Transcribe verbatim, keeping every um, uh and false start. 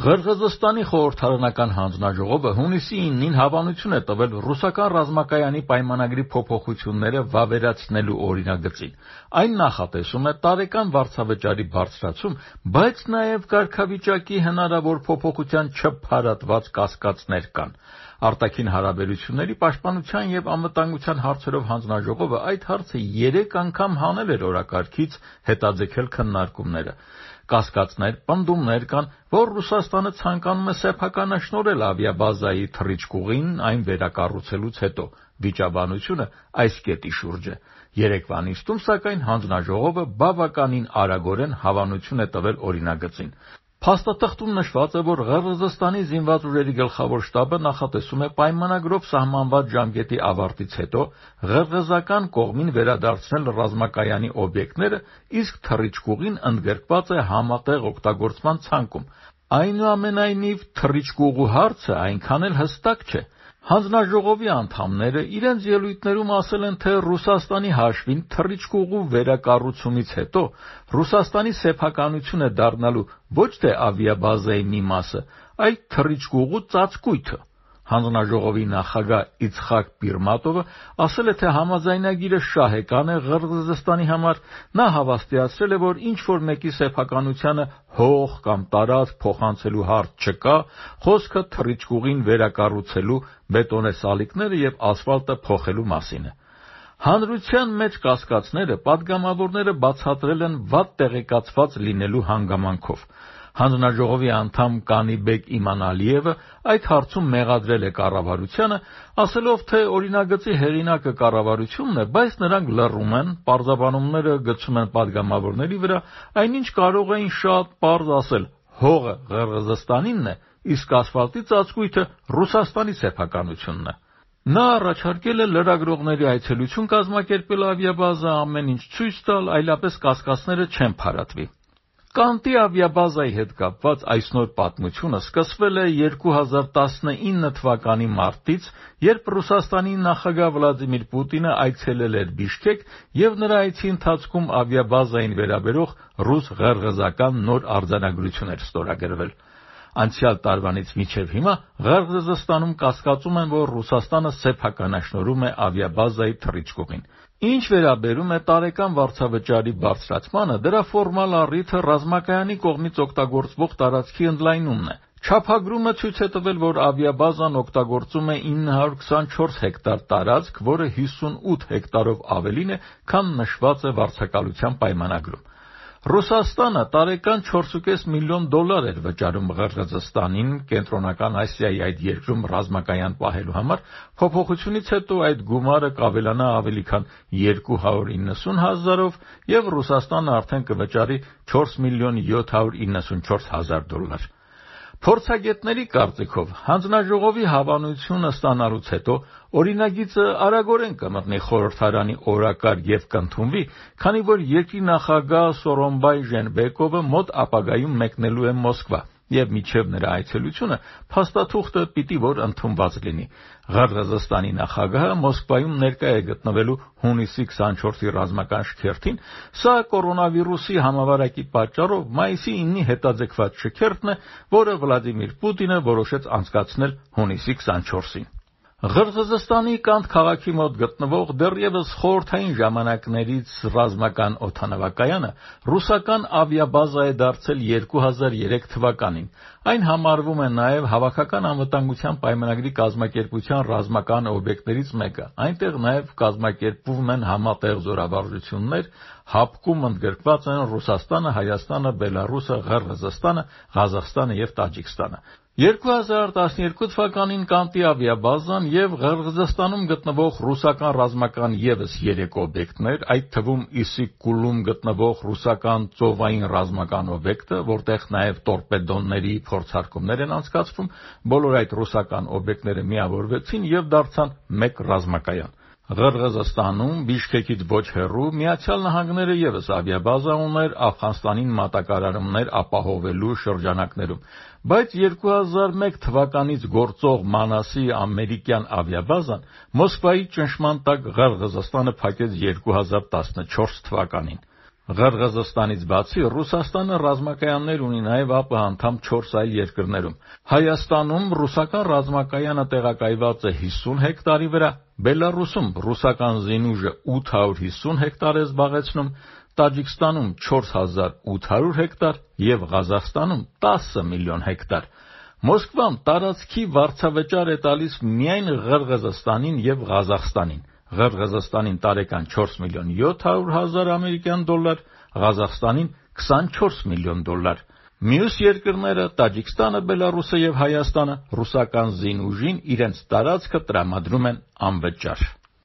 Ղրղըզստանի խորհրդարանական հանձնաժողովը հունիսի իննին հավանություն է տվել ռուսական ռազմակայանի պայմանագրի փոփոխությունները վավերացնելու օրինագծին։ Այն նախատեսում է տարեկան վարձավճարի բարձրացում, բայց նաև կարգավիճակի հնարավոր փոփոխության չփարատված կասկածներ կան։ Արտաքին հարաբերությունների պաշտպանության և անվտանգության հարցերով հանձնաժողովը այդ հարցը երեք անգամ հանել էր օրակարգից, հետաձգել քննարկումները։ Կասկածներ, պնդումներ կան, որ Ռուսաստանը ցանկանում է սեփականաշնորհել ավիաբազայի թռիչքուղին այն վերակառուցելուց հետո։ Վիճաբանությունը այս կետի շուրջ է։ Երեկվա նիստում, սակայն, հանձնաժողովը բավականին արագորեն հավանություն է տվել օրինագծին։ Փաստաթղթում նշված է, որ Ղրղըզստանի զինված ուժերի գլխավոր շտաբը նախատեսում է պայմանագրով սահմանված ժամկետի ավարտից հետո ղրղըզական կողմին վերադարձնել ռազմակայանի օբյեկտները, իսկ թռիչքուղին ընդգրկված է համատեղ օգտագործման ցանկում։ Այնուամենայնիվ, թռիչքուղու հարցը այնքան էլ հստակ չէ։ Հանձնաժողովի անդամները իրենց ելույթներում ասել են, թե Ռուսաստանի հաշվին թռիչքուղու վերակառուցումից հետո Ռուսաստանի սեփականություն է դառնալու ոչ թե ավիաբազայի մի մասը, այլ թռիչքուղու ծածկույթը։ Հանձնաժողովի նախագահ Իցխակ Պիրմատովը ասել է, թե համաձայնագիրը շահեկան է Ղրղըզստանի համար։ Նա հավաստիացրել է, որ ինչ-որ մեկի սեփականությանը հող կամ տարածք փոխանցելու հարց չկա, խոսքը թռիչքուղին վերակառուցելու, բետոնե սալիկները և ասֆալտը փոխելու մասին է։ Հանրության մեջ կասկածները պատգամավորները բացատրել են վատ տեղեկացված լինելու հանգամանքով։ Հանձնաժողովի անդամ Կանիբեկ Իմանալիևը այդ հարցում մեղադրել է կառավարությանը, ասելով, թե օրինագծի հեղինակը կառավարությունն է, բայց նրանք լռում են, պարզաբանումները գցում են պատգամավորների վրա, այնինչ կարող էին շատ պարզ ասել՝ հողը Ղրղըզստանինն է, իսկ ասֆալտի ծածկույթը Ռուսաստանի սեփականությունն է։ Նա առաջարկել է լրագրողների այցելություն կազմակերպել ավիաբազա, ամեն ինչ ցույց տալ, այլապես կասկածները չեն փարատվի։ Կանտի ավիաբազայի հետ կապված այս նոր պատմությունը սկսվել է երկու հազար տասնինը թվականի մարտից, երբ Ռուսաստանի նախագահ Վլադիմիր Պուտինը այցելել էր Բիշքեկ և նրա այցի ընթացքում ավիաբազային վերաբերող ռուս-ղրղըզական նոր արձանագրություն էր ստորագրվել։ Անցյալ տարվանից մինչև հիմա Ղրղըզստանում կասկածում են, որ Ռուսաստանը սեփականաշնորհում է ավիաբազայի թռիչքուղին։ Ինչ վերաբերում է տարեկան վարձավճարի բարձրացմանը, դրա ֆորմալ առիթը ռազմակայանի կողմից օգտագործվող տարածքի ընդլայնումն է։ Չափագրումը ցույց է տվել, որ ավիաբազան օգտագործում է ինը հարյուր քսանչորս հեկտար տարածք, որը հիսունութ հեկտարով ավելին է, քան նշված է վարձակալության պայմանագրում։ Ռուսաստանը տարեկան չորսուկես միլիոն դոլար էր վճարում Ղրղըզստանին, Կենտրոնական Ասիայի այդ երկրում ռազմակայան պահելու համար, փոփոխությունից հետո այդ գումարը կավելանա ավելի քան երկու հարյուր իննսուն հազարով, և Ռուսաստանը արդեն կվճարի չորս միլիոն յոթ հարյուր իննսունչորս հազար դոլար։ Փորձագետների կարծիքով, հանձնաժողովի հավանությունը ստանալուց հետո օրինագիծը արագորեն կմտնի խորհրդարանի օրակարգ և կընդունվի, քանի որ երկրի նախագահ Սորոնբայ Ժենբեկովը մոտ ապագայում մեկնելու է Մոսկվա, և մինչև նրա այցելությունը փաստաթուղթը պիտի որ ընդունված լինի։ Ղրղըզստանի նախագահը Մոսկվայում ներկա է գտնվելու հունիսի քսանչորսի ռազմական շքերթին, սա կորոնավիրուսի համավարակի պատճառով մայիսի իննի հետաձգված շքերթն է, որը Վլադիմիր Պուտինը որոշեց անցկացնել հունիսի քսանչորսին։ Ղրղըզստանի Կանդ քաղաքի մոտ գտնվող դեռևս խորհրդային ժամանակներից ռազմական օդանավակայանը ռուսական ավիաբազա է դարձել երկու հազար երեք թվականին։ Այն համարվում է նաև Հավաքական անվտանգության պայմանագրի կազմակերպության ռազմական օբյեկտներից մեկը։ Այնտեղ նաև կազմակերպվում են համատեղ զորավարժություններ, հապկում ընդգրկված են Ռուսաստանը, Հայաստանը, Բելառուսը, Ղրղըզստանը, Ղազախստանը և Տաջիկստանը։ երկու հազար տասներկու թվականին Կանտի ավիաբազան և Ղրղըզստանում գտնվող ռուսական ռազմական ևս երեք օբյեկտներ, այդ թվում Իսիկ-Կուլում գտնվող ռուսական ծովային ռազմական օբյեկտը, որտեղ նաև տորպեդոների փորձարկումներ են անցկացվում, բոլոր այդ ռուսական օբյեկտները միավորվեցին և դարձան մեկ ռազմակայան։ Ղրղըզստանում, Բիշքեկից ոչ հեռու, Միացյալ Նահանգները ևս ավիաբազա ուներ Աֆղանստանին մատակարարումներ ապահովելու շրջանակներում, բայց երկու հազար մեկ թվականից գործող Մանասի ամերիկյան ավիաբազան Մոսկվայի ճնշման տակ Ղրղըզստանը փակեց երկու հազար տասնչորս թվականին։ Ղրղզստանից բացի Ռուսաստանը ռազմակայաններ ունի նաև ԱՊՀ անդամ չորս այլ երկրներում։ Հայաստանում ռուսական ռազմակայանը տեղակայված է հիսուն հեկտարի վրա, Բելառուսում ռուսական զինուժը ութ հարյուր հիսուն հեկտար է զբաղեցնում, Տաջիկստանում չորս հազար ութ հարյուր հեկտար և Ղազախստանում տասը միլիոն հեկտար։ Մոսկվան տարածքի վարձավճար է տալիս միայն Ղրղզստանին և Ղազախստանին։ Ղրղզստանին տարեկան չորս միլիոն յոթ հարյուր հազար ամերիկյան դոլար, Ղազախստանին քսանչորս միլիոն դոլար։ Մյուս երկրները՝ Տաջիկստանը, Բելառուսը և Հայաստանը, ռուսական զինուժին իրենց տարածքը տրամադրում են անվճար։